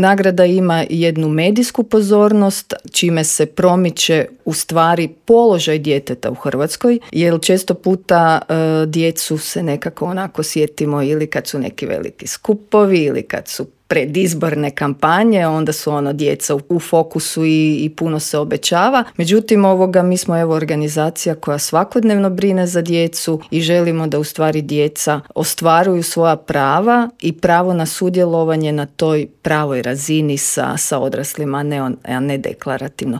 Nagrada ima jednu medijsku pozornost, čime se promiče u stvari položaj djeteta u Hrvatskoj, jer često puta djecu se nekako onako sjetimo ili kad su neki veliki skupovi ili kad su predizborne kampanje, onda su djeca u fokusu i puno se obećava. Međutim, mi smo organizacija koja svakodnevno brine za djecu i želimo da u stvari djeca ostvaruju svoja prava i pravo na sudjelovanje na toj pravoj razini sa odraslima, a ne deklarativno.